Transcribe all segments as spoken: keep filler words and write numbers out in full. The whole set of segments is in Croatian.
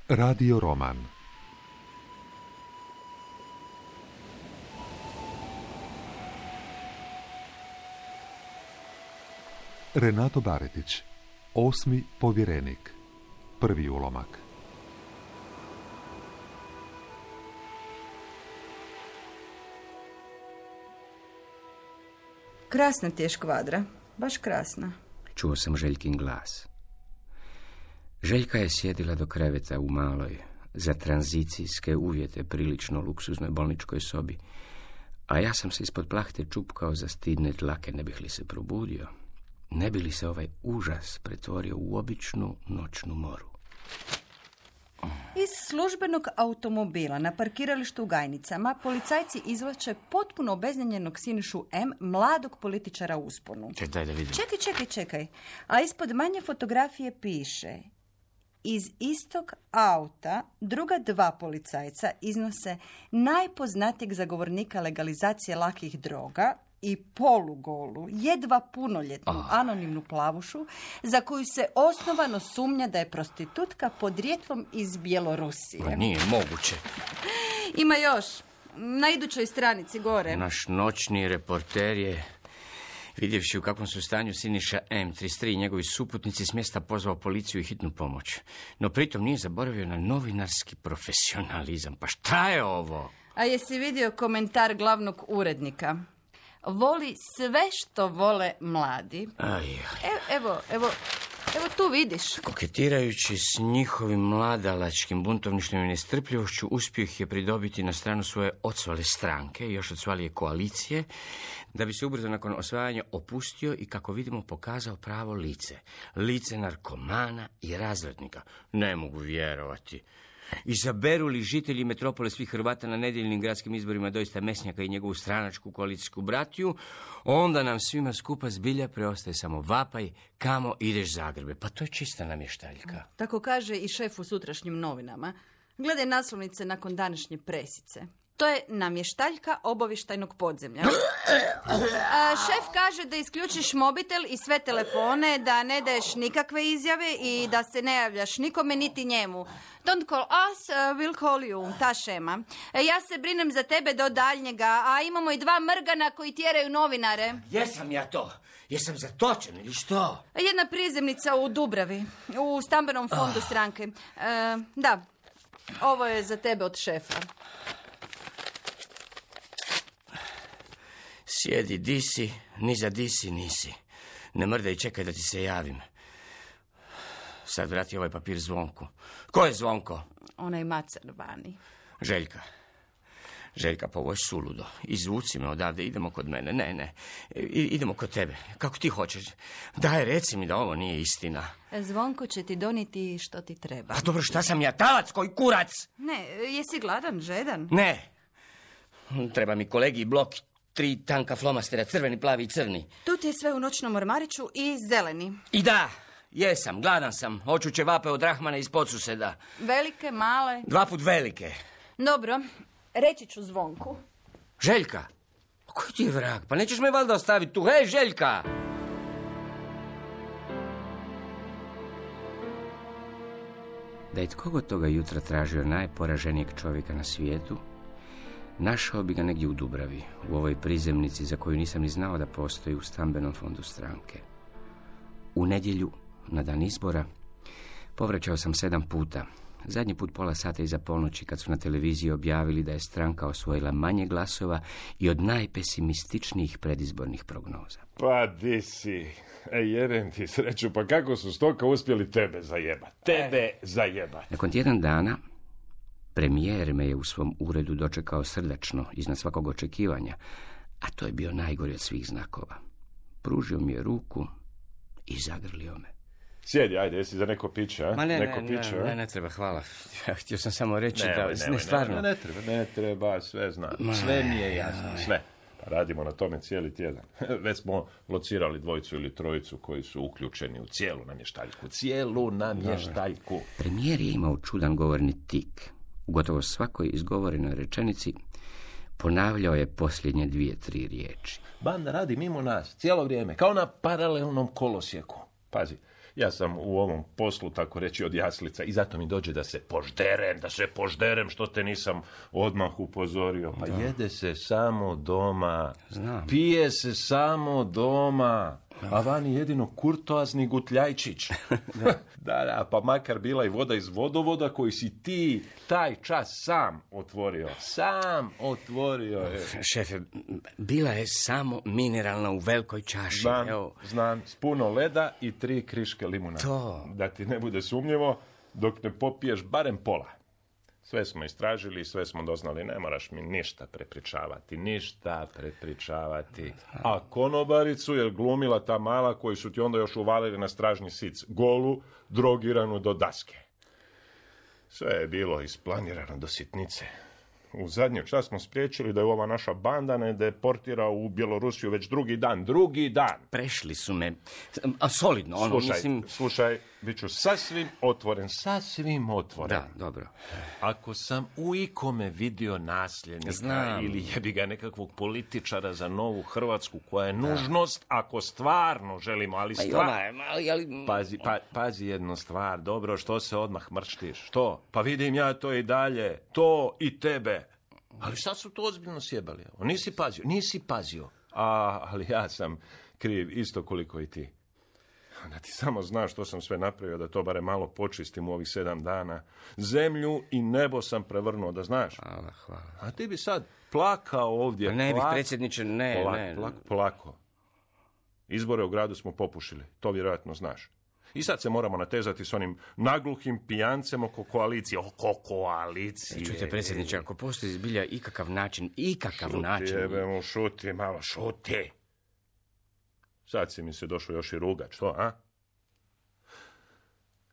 Radio roman. Renato Baretić, Osmi povjerenik. Prvi ulomak. Krasna ti je škvadra, baš krasna. Čuo sam Željkin glas. Željka je sjedila do kreveta u maloj, za tranzicijske uvjete prilično luksuznoj bolničkoj sobi, a ja sam se ispod plahte čupkao za stidne dlake, ne bih li se probudio, ne bi li se ovaj užas pretvorio u običnu noćnu moru. Iz službenog automobila na parkiralištu u Gajnicama policajci izvlače potpuno obeznanjenog Sinišu M, mladog političara u usponu. Čekaj, daj da vidim. Čekaj, čekaj, čekaj. A ispod manje fotografije piše: iz istog auta druga dva policajca iznose najpoznatijeg zagovornika legalizacije lakih droga i polugolu, jedva punoljetnu oh. anonimnu plavušu za koju se osnovano sumnja da je prostitutka podrijetlom iz Bjelorusije. Pa nije moguće. Ima još. Na idućoj stranici gore. Naš noćni reporter je, vidjevši u kakvom su stanju Siniša M, trideset tri i njegovi suputnici, s mjesta pozvao policiju i hitnu pomoć. No pritom nije zaboravio na novinarski profesionalizam. Pa šta je ovo? A jesi vidio komentar glavnog urednika? Voli sve što vole mladi. Aj. Evo, evo, evo, evo tu vidiš. Koketirajući s njihovim mladalačkim buntovništvom i nestrpljivošću, uspio ih je pridobiti na stranu svoje odsvale stranke i još odsvalije koalicije, da bi se ubrzo nakon osvajanja opustio i, kako vidimo, pokazao pravo lice. Lice narkomana i razrednika. Ne mogu vjerovati. Izaberu li žitelji metropole svih Hrvata na nedjeljnim gradskim izborima doista Mesnjaka i njegovu stranačku koalicijsku bratiju, onda nam svima skupa zbilja preostaje samo vapaj: kamo ideš Zagrebe. Pa to je čista namještaljka. Tako kaže i šef u sutrašnjim novinama. Gledaj naslovnice nakon današnje presice. To je namještaljka obavještajnog podzemlja. A šef kaže da isključiš mobitel i sve telefone, da ne daješ nikakve izjave i da se ne javljaš nikome niti njemu. Don't call us, uh, we'll call you, ta šema. Ja se brinem za tebe do daljnjega, a imamo i dva mrgana koji tjeraju novinare. Jesam ja to? Jesam zatočen ili što? Jedna prizemnica u Dubravi, u stambenom fondu stranke. Uh, da, ovo je za tebe od šefa. Sjedi, di si, ni za di si nisi. Ne mrdaj i čekaj da ti se javim. Sad vrati ovaj papir Zvonku. Ko je Zvonko? Onaj macar vani. Željka. Željka, pa ovo je suludo. Izvuci me odavde, idemo kod mene. Ne, ne, I, idemo kod tebe. Kako ti hoćeš. Daj, reci mi da ovo nije istina. Zvonko će ti donijeti što ti treba. Pa dobro, šta sam ja, talac, koji kurac? Ne, jesi gladan, žedan? Ne. Treba mi kolegi blok. Tri tanka flomastera, crveni, plavi i crni. Tu ti je sve u noćnom ormariću i zeleni. I da, jesam, gladan sam. Hoću ćevape od Rahmana iz Podsuseda. Velike, male? Dva put velike. Dobro, reći ću Zvonku. Željka? Koji ti je vrag? Pa nećeš me valjda ostaviti tu. Hej, Željka! Da je tko god toga jutra tražio najporaženijeg čovjeka na svijetu, našao bi ga negdje u Dubravi, u ovoj prizemnici za koju nisam ni znao da postoji u stambenom fondu stranke. U nedjelju, na dan izbora, povraćao sam sedam puta. Zadnji put pola sata iza ponoći, kad su na televiziji objavili da je stranka osvojila manje glasova i od najpesimističnijih predizbornih prognoza. Pa di si? E, jebem ti sreću, pa kako su stoka uspjeli tebe zajebat? Tebe e. zajebat. Nakon tjedan dana, premijer me je u svom uredu dočekao srdačno, iznad svakog očekivanja, a to je bio najgori od svih znakova. Pružio mi je ruku i zagrlio me. Sjedi, ajde, jesi za neko piće, a? Ma ne, neko ne, piće, ne, ne, ne treba, hvala. Ja, htio sam samo reći ne, da... Ne, ne, stvarno. Ne, ne, ne treba, ne treba, sve znam. Ma, sve mi je jasno, aj. sve. Pa radimo na tome cijeli tjedan. Već smo locirali dvojicu ili trojicu koji su uključeni u cijelu namještaljku. Cijelu namještaljku. Premijer je imao čudan govorni tik. U gotovo svakoj izgovorenoj rečenici ponavljao je posljednje dvije, tri riječi. Banda radi mimo nas, cijelo vrijeme, kao na paralelnom kolosijeku. Pazi, Ja sam u ovom poslu, tako reći, od jaslica i zato mi dođe da se požderem, da se požderem, što te nisam odmah upozorio. Pa da. Jede se samo doma, Znam. Pije se samo doma, a vani jedino kurtoazni gutljajčić. da. da, da, pa makar bila i voda iz vodovoda koji si ti taj čas sam otvorio. Sam otvorio. Je. Šefe, bila je samo mineralna u velikoj čaši. Znam, Evo. znam, s puno leda i tri kriške limuna. To. Da ti ne bude sumnjivo, dok ne popiješ barem pola. Sve smo istražili, sve smo doznali, ne moraš mi ništa prepričavati, ništa prepričavati. A konobaricu je glumila ta mala koju su ti onda još uvalili na stražnji sic, golu, drogiranu do daske. Sve je bilo isplanirano do sitnice. U zadnji čas smo spriječili da je ova naša banda ne deportira u Bjelorusiju već drugi dan. Drugi dan! Prešli su me, a solidno, ono, slušaj, mislim... Slušaj, bit ću sasvim otvoren, sasvim otvoren. Da, dobro. Ako sam u ikome vidio nasljednika Znam. ili jebi ga nekakvog političara za novu Hrvatsku koja je nužnost, da. Ako stvarno želimo, ali stvar... Ali, ali... Pazi, pa, pazi jednu stvar, dobro, što se odmah mrštiš? Što? Pa vidim ja to i dalje, to i tebe. Ali sad su to ozbiljno sjebali. Nisi pazio, nisi pazio. A, ali ja sam kriv isto koliko i ti. Da ti samo znaš što sam sve napravio, da to bare malo počistim u ovih sedam dana. Zemlju i nebo sam prevrnuo, da znaš. Hvala, hvala. A ti bi sad plakao ovdje. Ne bih, plak... predsjedniče, ne, plak, ne. Plak, plako. Izbore u gradu smo popušili, to vjerojatno znaš. I sad se moramo natezati s onim nagluhim pijancem oko koalicije. Oko koalicije. Čujte, predsjedniče, ako postoji zbilja ikakav način, ikakav šuti, način... Šuti, jebemo, šuti, malo šuti. Sad si mi se došao još i rugat, što, a?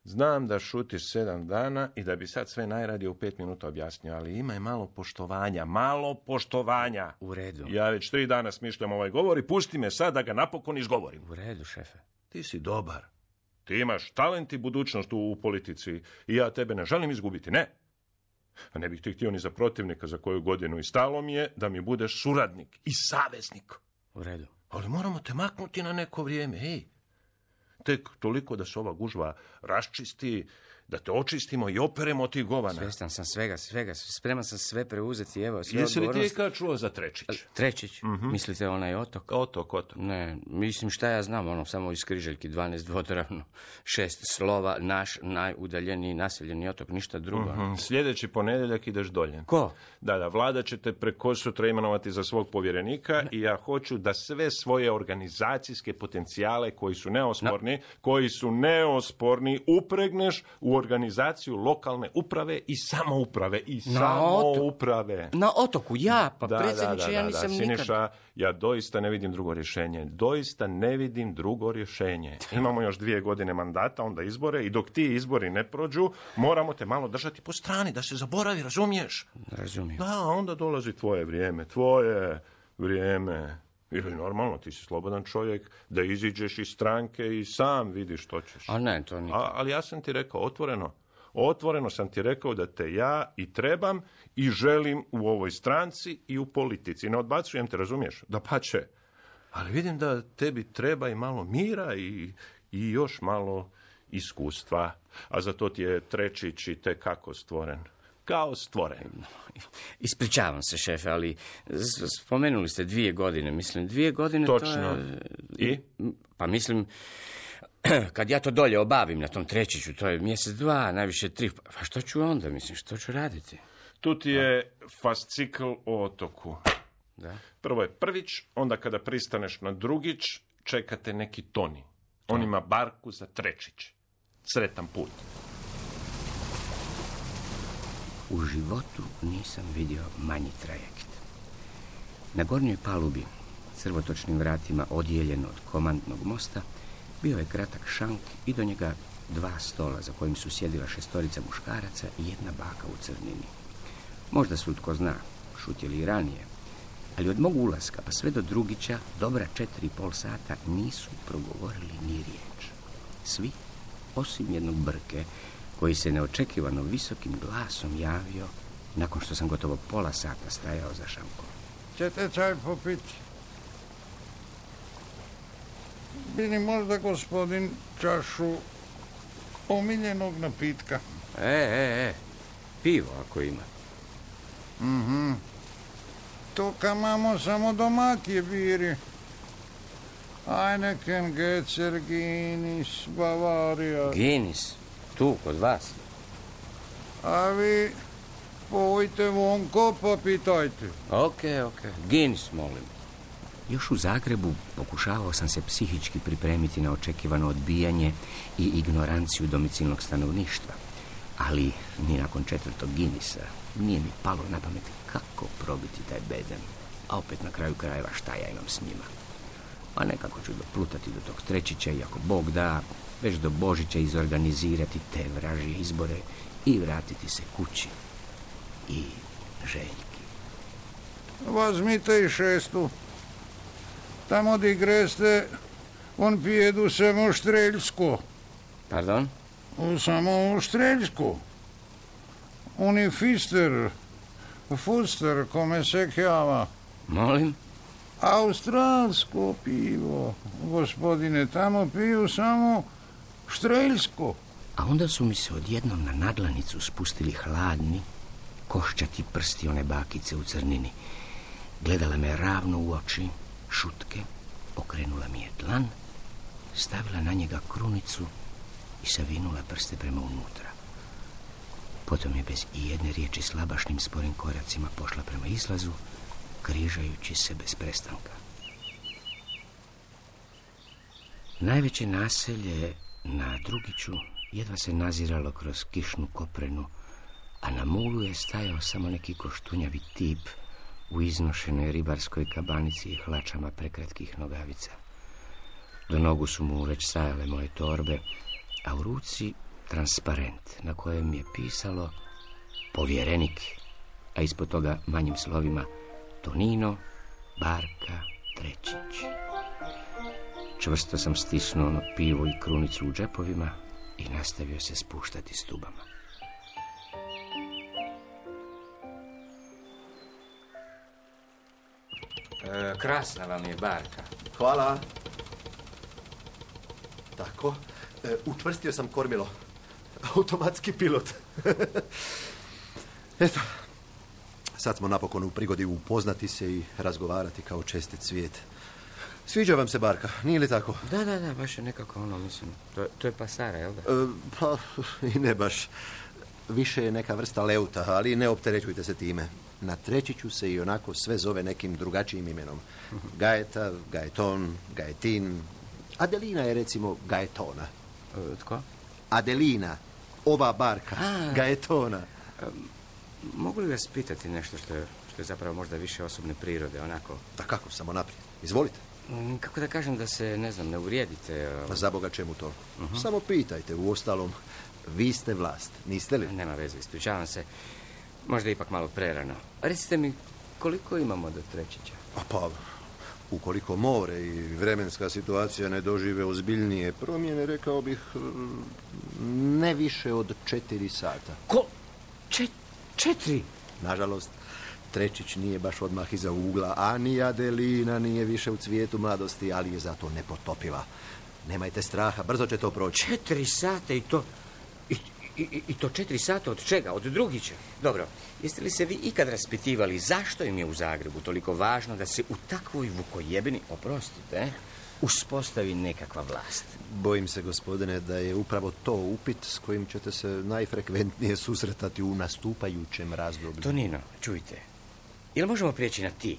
Znam da šutiš sedam dana i da bi sad sve najradije u pet minuta objasnio, ali imaj malo poštovanja, malo poštovanja. U redu. Ja već tri dana smišljam ovaj govor i pusti me sad da ga napokon izgovorim. U redu, šefe. Ti si dobar. Ti imaš talent i budućnost u, u politici i ja tebe ne želim izgubiti, ne. A ne bih ti htio ni za protivnika za koju godinu i stalo mi je da mi budeš suradnik i saveznik. U redu. Ali moramo te maknuti na neko vrijeme, ej. Tek toliko da se ova gužva raščisti, da te očistimo i operemo od tih govana. Svjestan sam svega, svega, spreman sam sve preuzeti, evo, sve Jesi li odgovornost... ti kad čuo za Trečić? Trečić? Mm-hmm. Mislite onaj otok? Otok, otok. Ne, mislim šta ja znam, ono, samo iz Križeljki, dvanaest dvodoravno, šest slova, naš najudaljeniji naseljeni otok, ništa drugo. Mm-hmm. Sljedeći ponedjeljak ideš dolje. Ko? Da, da, vlada će te preko sutra imenovati za svog povjerenika ne. I ja hoću da sve svoje organizacijske potencijale koji su neosporni, no. koji su neosporni, upregneš u organizaciju lokalne uprave i samouprave i na samouprave. Oto... Na otoku, ja, pa da, predsjedniče, da, da, ja da, nisam da. nikad... Siniša, ja doista ne vidim drugo rješenje. Doista ne vidim drugo rješenje. Imamo još dvije godine mandata, onda izbore i dok ti izbori ne prođu, moramo te malo držati po strani, da se zaboravi, razumiješ? Razumijem. Da, onda dolazi tvoje vrijeme, tvoje vrijeme. Ili normalno, ti si slobodan čovjek da iziđeš iz stranke i sam vidiš što ćeš. A ne, to nikad. A, ali ja sam ti rekao otvoreno, otvoreno sam ti rekao da te ja i trebam i želim u ovoj stranci i u politici. Ne odbacujem te, razumiješ? Dapače. Ali vidim da tebi treba i malo mira i, i još malo iskustva. A za to ti je Trečić i te kako stvoren. Kao stvoren. Ispričavam se, šefe, ali spomenuli ste dvije godine. Mislim, dvije godine Točno. to je... I? Pa mislim... Kad ja to dolje obavim na tom Trečiću, to je mjesec, dva, najviše tri. Pa što ću onda, mislim, što ću raditi? Tu ti je fascikl o otoku. Da. Prvo je prvić, onda kada pristaneš na drugić, čekate neki Toni. On ima barku za Trečić. Sretan put. U životu nisam vidio manji trajekt. Na gornjoj palubi, crvotočnim vratima odijeljen od komandnog mosta, bio je kratak šank i do njega dva stola za kojim su sjedila šestorica muškaraca i jedna baka u crnini. Možda su, tko zna, šutjeli i ranije, ali od mog ulaska pa sve do Drugića dobra četiri i pol sata nisu progovorili ni riječ. Svi, osim jednog Brke, koji se neočekivano visokim glasom javio nakon što sam gotovo pola sata stajao za šankom. Ćete čaj popiti? Bi li možda gospodin čašu omiljenog napitka. E, e, e, pivo ako ima. Mhm. To ka mamo samo domatije biri. Heineken, Gecer, Guinness, Bavarija. Guinness, tu, kod vas. A vi pojte vonko pa pitajte. Ok, ok, Guinness, molim. Još u Zagrebu pokušavao sam se psihički pripremiti na očekivano odbijanje i ignoranciju domicilnog stanovništva. Ali ni nakon četvrtog Guinnessa nije mi palo na pamet kako probiti taj bedem. A opet na kraju krajeva šta ja imam s njima. A nekako ću doplutati do tog Trećića i ako Bog da, već do Božića izorganizirati te vražje izbore i vratiti se kući. I Željki. Возьмite i šestu. Tamo di greste, on pijedu samo štreljsko. Pardon? Samo štreljsko. Oni fister, fuster, kome se kjava. Molim? Australsko pivo, gospodine, tamo piju samo štreljsko. A onda su mi se odjednom na nadlanicu spustili hladni, koščati prsti one bakice u crnini. Gledala me ravno u oči, šutke, okrenula mi je dlan, stavila na njega krunicu i savinula prste prema unutra. Potom je bez ijedne riječi slabašnim sporim koracima pošla prema izlazu, križajući se bez prestanka. Najveće naselje na Drugiću jedva se naziralo kroz kišnu koprenu, a na mulu je stajao samo neki koštunjavi tip u iznošenoj ribarskoj kabanici i hlačama prekratkih nogavica. Do nogu su mu već stajale moje torbe, a u ruci transparent na kojem je pisalo povjerenik, a ispod toga manjim slovima Tonino, Barka, Trećić. Čvrsto sam stisnuo ono pivo i krunicu u džepovima i nastavio se spuštati stubama. E, krasna vam je Barka. Hvala. Tako, e, učvrstio sam kormilo. Automatski pilot. Eto, sad smo napokon u prigodi upoznati se i razgovarati kao čestit svijet. Sviđa vam se Barka, nije li tako? Da, da, da, baš je nekako ono, mislim, to, to je pasara, jel da? E, pa, i ne baš. Više je neka vrsta leuta, ali ne opterećujte se time. Na Trećiću se i onako sve zove nekim drugačijim imenom. Gajeta, Gajeton, Gajetin. Adelina je recimo Gajetona. E, tko? Adelina, ova Barka, A, Gajetona. E, mogu li vas pitati nešto što je, što je zapravo možda više osobne prirode, onako? Da kako, samo naprijed. Izvolite. Kako da kažem da se, ne znam, ne uvrijedite? Pa za Boga čemu to? Uh-huh. Samo pitajte, u ostalom, vi ste vlast, niste li? Nema veze, ispričavam se. Možda ipak malo prerano. Recite mi, koliko imamo do Trećića? A pa, ukoliko more i vremenska situacija ne dožive ozbiljnije promjene, rekao bih, ne više od četiri sata. Ko? Čet, četiri? Nažalost, Trećić nije baš odmah iza ugla, a ni Adelina nije više u cvijetu mladosti, ali je zato nepotopiva. Nemajte straha, brzo će to proći. Četiri sata i to... I, i, i to četiri sata od čega? Od Drugića? Dobro, jeste li se vi ikad raspitivali zašto im je u Zagrebu toliko važno da se u takvoj vukojebini, oprostite, uspostavi nekakva vlast? Bojim se, gospodine, da je upravo to upit s kojim ćete se najfrekventnije susretati u nastupajućem razdoblju. Tonino, čujte, jel možemo prijeći na ti?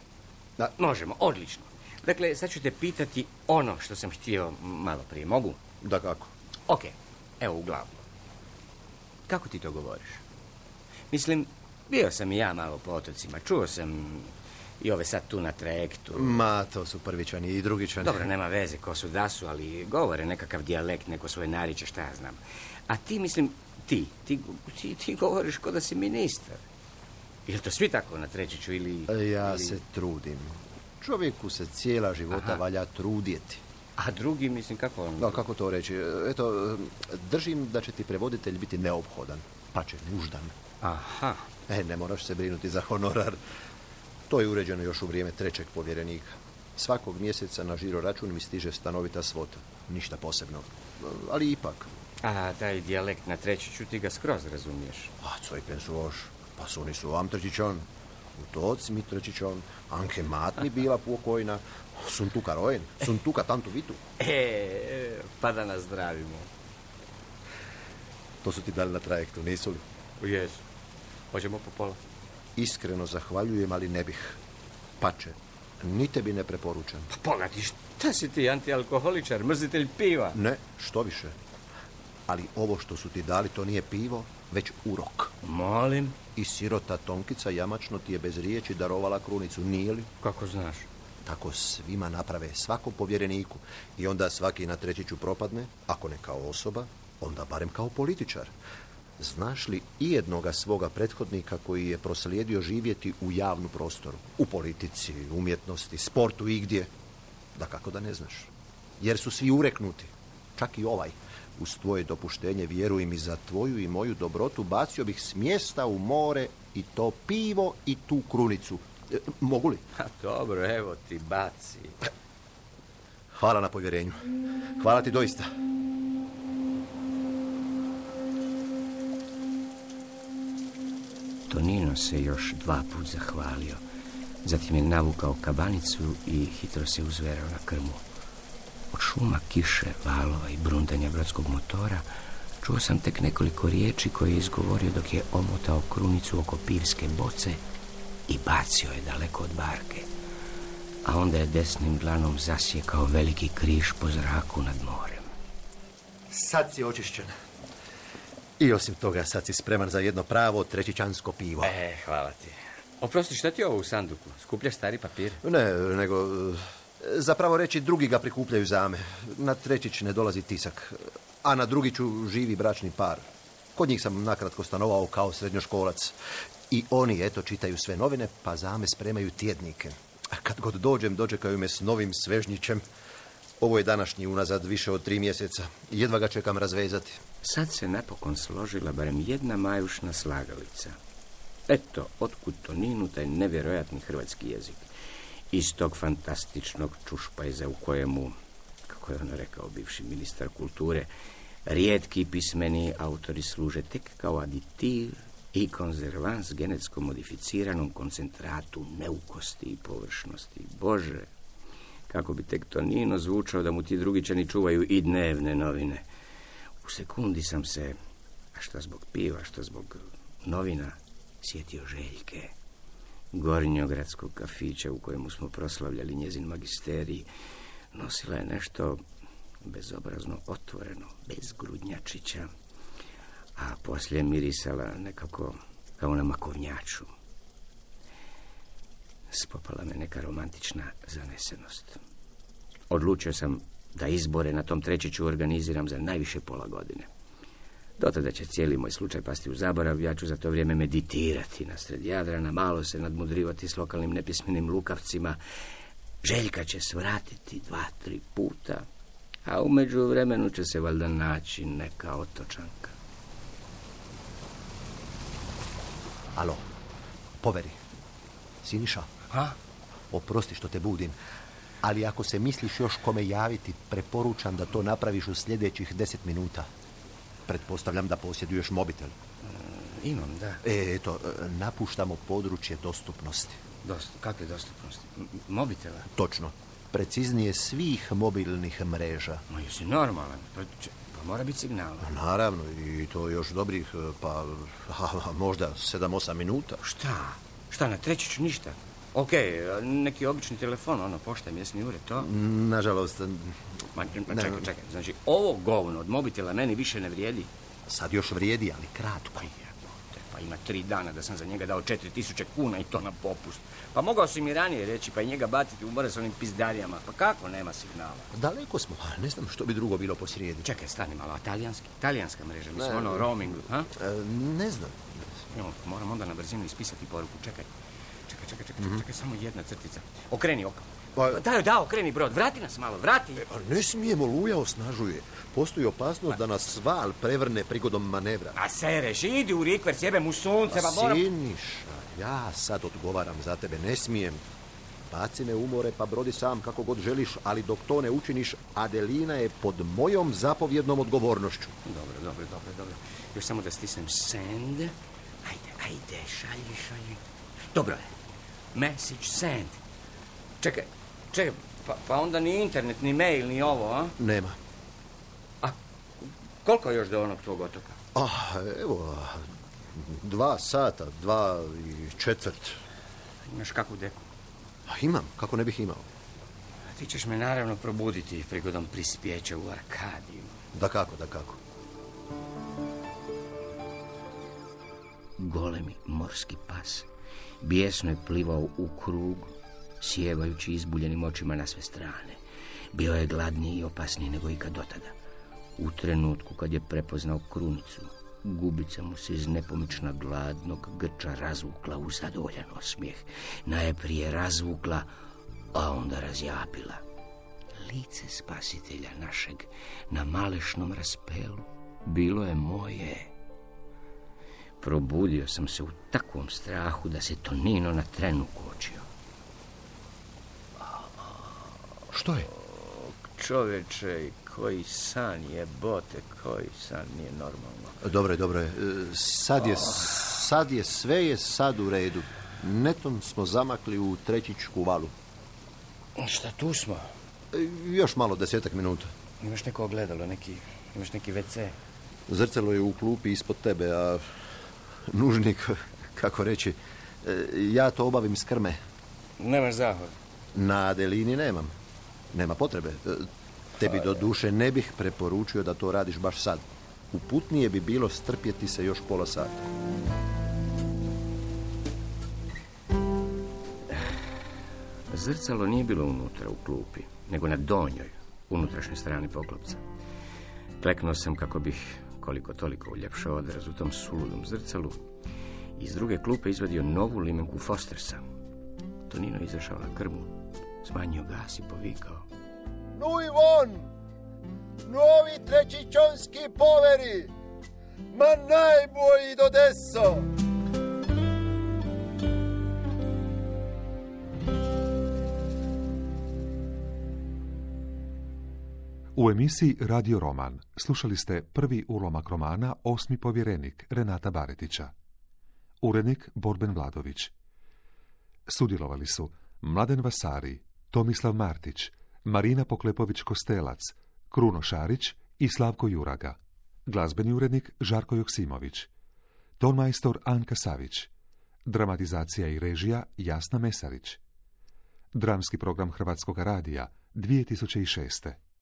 Da. Možemo, odlično. Dakle, sad ću te pitati ono što sam htio malo prije. Mogu? Da kako? Ok, evo uglavnom. Kako ti to govoriš? Mislim, bio sam i ja malo po otocima. Čuo sam i ove sad tu na trajektu. Ma, to su prvičani i drugičani. Dobro, nema veze ko su da su, ali govore nekakav dijalekt, neko svoje narječje, šta ja znam. A ti, mislim, ti, ti, ti, ti govoriš ko da si ministar. Je li to svi tako na Trećiću ili... Ja ili... se trudim. Čovjeku se cijela života Aha. valja trudjeti. A drugi, mislim, kako on... Da, kako to reći? Eto, držim da će ti prevoditelj biti neophodan, pa će nuždan. Aha. E, ne moraš se brinuti za honorar. To je uređeno još u vrijeme trećeg povjerenika. Svakog mjeseca na žiro račun mi stiže stanovita svota. Ništa posebno. Ali ipak, A taj dijalekt na Trećiću ti ga skroz razumiješ. A, cojken su oš. Pa su oni su am Trećićon. Utoci mi Trećićon. Anke mat mi bila pokojna. Sun tuka rojen. Sun tuka tantu vitu. E, pa da nas zdravimo. To su ti dali na trajektu, nisu li? Jesu. Hoćemo po pola. Iskreno zahvaljujem, ali ne bih. Pače, ni tebi ne preporučam. Pa pogledaj, šta si ti, antialkoholičar, mrzitelj piva? Ne, što više. Ali ovo što su ti dali, to nije pivo, već urok. Molim? I sirota Tonkica jamačno ti je bez riječi darovala krunicu, nije li? Kako znaš? Tako svima naprave, svakom povjereniku. I onda svaki na Trećiću propadne, ako ne kao osoba, onda barem kao političar. Znaš li i jednoga svoga prethodnika koji je proslijedio živjeti u javnu prostoru? U politici, umjetnosti, sportu, igdje? Da kako da ne znaš. Jer su svi ureknuti. Čak i ovaj. Uz tvoje dopuštenje, vjeruj mi, za tvoju i moju dobrotu bacio bih s mjesta u more i to pivo i tu krunicu. E, mogu li? A dobro, evo ti baci. Hvala na povjerenju. Hvala ti doista. Tonino se još dva put zahvalio. Zatim je navukao kabanicu i hitro se uzverao na krmu. Od šuma kiše, valova i brundanja brodskog motora čuo sam tek nekoliko riječi koje je izgovorio dok je omotao krunicu oko pivske boce i bacio je daleko od barke. A onda je desnim dlanom zasjekao veliki križ po zraku nad morem. Sad si očišćen. I osim toga, sad si spreman za jedno pravo trećićansko pivo. E, hvala ti. Oprosti, šta ti je ovo u sanduku? Skupljaš stari papir? Ne, nego... Zapravo reći, drugi ga prikupljaju za me. Na Trećić ne dolazi tisak. A na Drugiću živi bračni par. Kod njih sam nakratko stanovao kao srednjoškolac. I oni, eto, čitaju sve novine, pa za me spremaju tjednike. A kad god dođem, dočekaju me s novim svežnjićem. Ovo je današnji unazad više od tri mjeseca. Jedva ga čekam razvezati. Sad se napokon složila barem jedna majušna slagalica. Eto, otkud Toninu taj nevjerojatni hrvatski jezik. Iz tog fantastičnog čušpajza u kojemu, kako je ono rekao bivši ministar kulture, rijetki pismeni autori služe tek kao aditiv i konzervans genetsko modificiranom koncentratu neukosti i površnosti. Bože, kako bi tek Tonino zvučao da mu ti Drugićani čuvaju i dnevne novine. U sekundi sam se, a šta zbog piva, šta zbog novina, sjetio Željke, gornjogradskog kafića u kojemu smo proslavljali njezin magisterij. Nosila je nešto bezobrazno otvoreno, bez grudnjačića, a poslije mirisala nekako kao na makovnjaču. Spopala me neka romantična zanesenost. Odlučio sam da izbore na tom Trećiću organiziram za najviše pola godine. Dotada će cijeli moj slučaj pasti u zaborav, ja ću za to vrijeme meditirati nasred Jadrana, malo se nadmudrivati s lokalnim nepismenim lukavcima. Željka će svratiti dva, tri puta, a u međuvremenu će se valjda naći neka otočanka. Alo, poveri. Siniša? Ha? Oprosti što te budim, ali ako se misliš još kome javiti, preporučam da to napraviš u sljedećih deset minuta. Pretpostavljam da posjeduješ mobitel. E, imam, da. E, eto, napuštamo područje dostupnosti. Dost, kakve dostupnosti? M- mobitela? Točno. Preciznije svih mobilnih mreža. Ma jesi normalan? Pa, če, pa mora biti signal. Naravno, i to još dobrih, pa a, možda sedam osam minuta. Šta? Šta, na Trećiću ništa? Ok, neki obični telefon, ono, pošta, mjesni ured, to? Nažalost... Ma, ma čekaj, čekaj, znači, ovo govno od mobitela meni više ne vrijedi. Sad još vrijedi, ali kratko. Pa ima tri dana da sam za njega dao četiri tisuće kuna i to na popust. Pa mogao si mi ranije reći, pa i njega baciti u more s onim pizdarijama. Pa kako nema signala? Daleko smo, a ne znam što bi drugo bilo posrijedi. Čekaj, stani malo, a talijanski? Talijanska mreža, mislim, ono, roaming, ha? E, ne znam. Jo, moram onda na brzinu ispisati poruku, čekaj. Čekaj, čekaj, čekaj, čekaj, čekaj, samo jedna crtica. Okreni oko. Pa, da, da, okreni brod, vrati nas malo, vrati. E, ne smijemo, luja osnažuje. Postoji opasnost da nas val prevrne prigodom manevra. A sereš, idi u rikver, sjebem u sunce, pa moram... Siniša, ja sad odgovaram za tebe, ne smijem. Baci me u more pa brodi sam kako god želiš, ali dok to ne učiniš, Adelina je pod mojom zapovjednom odgovornošću. Dobro, dobro, dobro, dobro. Još samo da stisnem send. Ajde, ajde, šalji, šalji. Dobro je. Message send. Čekaj, čekaj, pa, pa onda ni internet, ni mail, ni ovo, a? Nema. A koliko je još do onog tvog otoka? Ah, evo, dva sata, dva i četvrt. Imaš kakvu deku? A imam, kako ne bih imao. Ti ćeš me naravno probuditi prigodom prispjeća u Arkadiju. Da kako, da kako. Golemi morski pas bijesno je plivao u krug, sjevajući izbuljenim očima na sve strane. Bio je gladniji i opasniji nego ikad dotada. U trenutku kad je prepoznao krunicu, gubica mu se iz nepomična gladnog grča razvukla u zadovoljan osmijeh. Najprije razvukla, a onda razjapila. Lice spasitelja našeg na malešnom raspelu bilo je moje. Probudio sam se u takvom strahu da se Tonino na trenu kočio. Što je? Čovječe, koji san je, bote, koji san nije normalno. Dobro je, dobro je. Sad je, sad je, sve je sad u redu. Netom smo zamakli u Trećičku valu. Šta tu smo? Još malo, desetak minuta. Imaš neko ogledalo, neki, imaš neki ve ce? Zrcalo je u klupi ispod tebe, a nužnik, kako reći, ja to obavim s krme. Nemaš zahod? Na Adelini nemam. Nema potrebe. Tebi do duše ne bih preporučio da to radiš baš sad. Uputnije bi bilo strpjeti se još pola sata. Zrcalo nije bilo unutra u klupi, nego na donjoj, unutrašnjoj strani poklopca. Kleknuo sam kako bih koliko toliko uljepšao odraz u tom suludom zrcalu. Iz druge klupe izvadio novu limenku Fostersa. Tonino izašao na krmu, smanjio gas i povikao. Nuj von! Novi trećičonski poveri! Ma najbolji do deso! U emisiji Radio Roman slušali ste prvi ulomak romana Osmi povjerenik Renata Baretića. Urednik Borben Vladović. Sudjelovali su Mladen Vasari, Tomislav Martić, Marina Poklepović-Kostelac, Kruno Šarić i Slavko Juraga. Glazbeni urednik Žarko Joksimović. Tonmajstor Anka Savić. Dramatizacija i režija Jasna Mesarić. Dramski program Hrvatskog radija dvije tisuće šeste.